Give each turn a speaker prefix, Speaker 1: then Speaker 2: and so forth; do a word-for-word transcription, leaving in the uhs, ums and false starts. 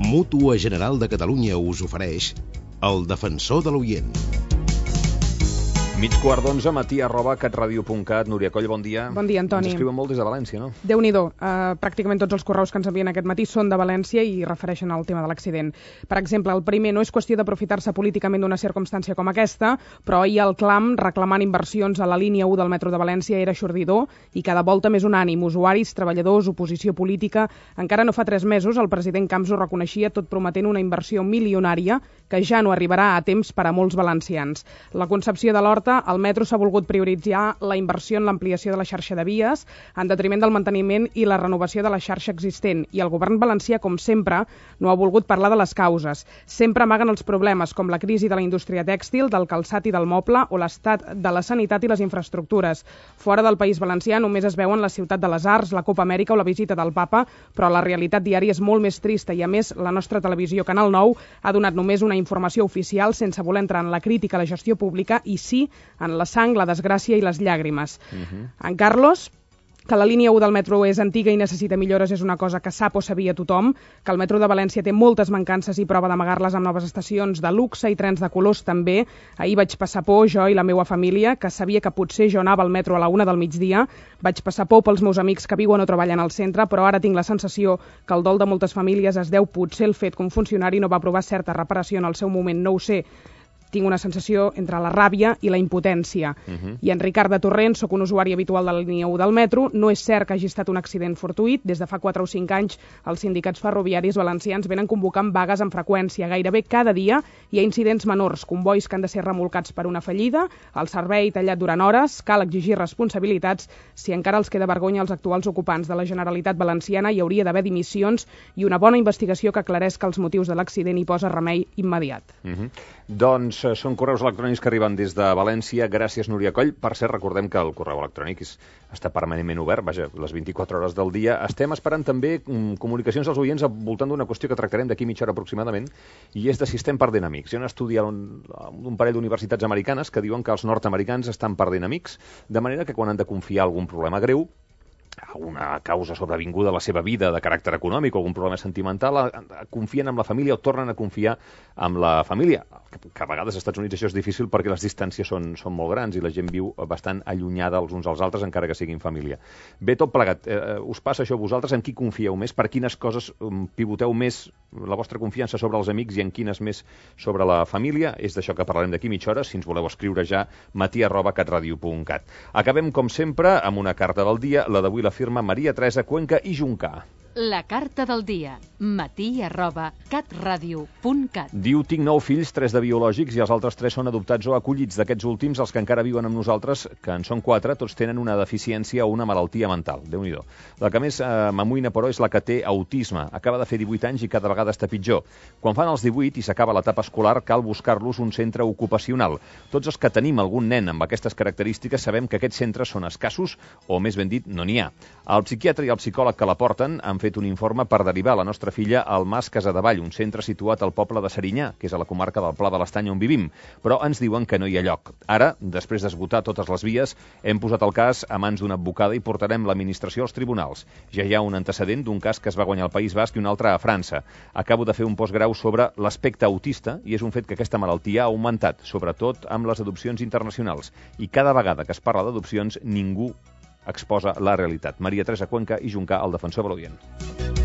Speaker 1: Mútua General de Catalunya us ofereix El Defensor de l'Oient.
Speaker 2: Mig quart d'onze, matí arroba catradio punt cat. Núria Coll, bon dia.
Speaker 3: Bon dia, Antoni.
Speaker 2: Ens escriuen molt des de València, no?
Speaker 3: Déu-n'hi-do. Uh, pràcticament tots els correus que ens envien aquest matí són de València i refereixen al tema de l'accident. Per exemple, el primer, no és qüestió d'aprofitar-se políticament d'una circumstància com aquesta, però ahir el clam reclamant inversions a la línia u del metro de València era xordidor i cada volta més unànim. Usuaris, treballadors, oposició política. Encara no fa tres mesos el president Camps ho reconeixia, tot prometent una inversió milionària que ja no arribarà a temps per a molts valencians. La concepció de l'Horta, el metro s'ha volgut prioritzar la inversió en l'ampliació de la xarxa de vies en detriment del manteniment i la renovació de la xarxa existent. I el govern valencià, com sempre, no ha volgut parlar de les causes. Sempre amaguen els problemes, com la crisi de la indústria tèxtil, del calçat i del moble, o l'estat de la sanitat i les infraestructures. Fora del País Valencià només es veuen la ciutat de les arts, la Copa Amèrica o la visita del papa, però la realitat diària és molt més trista i, a més, la nostra televisió Canal nou ha donat només una informació oficial sense voler entrar en la crítica a la gestió pública i sí en la sang, la desgràcia i les llàgrimes. Uh-huh. En Carlos, que la línia u del metro és antiga i necessita millores és una cosa que sap o sabia tothom, que el metro de València té moltes mancances i prova d'amagar-les amb noves estacions de luxe i trens de colors també. Ahir vaig passar por, jo i la meva família, que sabia que potser jo anava al metro a la una del migdia. Vaig passar por pels meus amics que viuen o treballen al centre, però ara tinc la sensació que el dol de moltes famílies es deu potser el fet que un funcionari no va aprovar certa reparació en el seu moment, no ho sé. Tinc una sensació entre la ràbia i la impotència. Uh-huh. I en Ricard de Torrent, sóc un usuari habitual de la línia u del metro, no és cert que hagi estat un accident fortuït. Des de fa quatre o cinc anys, els sindicats ferroviaris valencians venen convocant vagues amb freqüència. Gairebé cada dia hi ha incidents menors, convois que han de ser remolcats per una fallida, el servei tallat durant hores, cal exigir responsabilitats. Si encara els queda vergonya als actuals ocupants de la Generalitat Valenciana, hi hauria d'haver dimissions i una bona investigació que aclareixi els motius de l'accident i posa remei immediat.
Speaker 2: Uh-huh. Doncs són correus electrònics que arriben des de València. Gràcies, Núria Coll. Per cert, recordem que el correu electrònic és, està permanentment obert, vaja, les vint-i-quatre hores del dia. Estem esperant també um, comunicacions als oients al voltant d'una qüestió que tractarem d'aquí mitja hora aproximadament, i és de si estem perdent amics. Hi ha un estudi d'un un parell d'universitats americanes que diuen que els nord-americans estan perdent amics, de manera que quan han de confiar algun problema greu, una causa sobrevinguda a la seva vida de caràcter econòmic o algun problema sentimental, confien en la família o tornen a confiar en la família. Que a vegades als Estats Units això és difícil perquè les distàncies són, són molt grans i la gent viu bastant allunyada els uns als altres, encara que siguin família. Bé, tot plegat, eh, us passa això a vosaltres? En qui confieu més? Per quines coses um, pivoteu més la vostra confiança sobre els amics i en quines més sobre la família? És d'això que parlarem d'aquí mitja hora, si ens voleu escriure ja, matí arroba catradio punt cat. Acabem, com sempre, amb una carta del dia, la d'avui la firma Maria Teresa Cuenca i Juncà.
Speaker 4: La carta del dia, matí arroba catradio punt cat.
Speaker 2: Diu, tinc nou fills, tres de biològics i els altres tres són adoptats o acollits. D'aquests últims, els que encara viuen amb nosaltres, que en són quatre, tots tenen una deficiència o una malaltia mental. Déu-n'hi-do. La que més eh, m'amoïna, però, és la que té autisme. Acaba de fer divuit anys i cada vegada està pitjor. Quan fan els divuit i s'acaba l'etapa escolar, cal buscar-los un centre ocupacional. Tots els que tenim algun nen amb aquestes característiques sabem que aquests centres són escassos o, més ben dit, no n'hi ha. El psiquiatre i el psicòleg que la porten han fet un informe per derivar la nostra filla al Mas Casadevall, un centre situat al poble de Serinyà, que és a la comarca del Pla de l'Estany on vivim, però ens diuen que no hi ha lloc. Ara, després d'esgotar totes les vies, hem posat el cas a mans d'una advocada i portarem l'administració als tribunals. Ja hi ha un antecedent d'un cas que es va guanyar al País Basc i un altre a França. Acabo de fer un postgrau sobre l'aspecte autista i és un fet que aquesta malaltia ha augmentat, sobretot amb les adopcions internacionals. I cada vegada que es parla d'adopcions, ningú exposa la realitat. Maria Teresa Cuenca i Juncà, el defensor de l'Oient.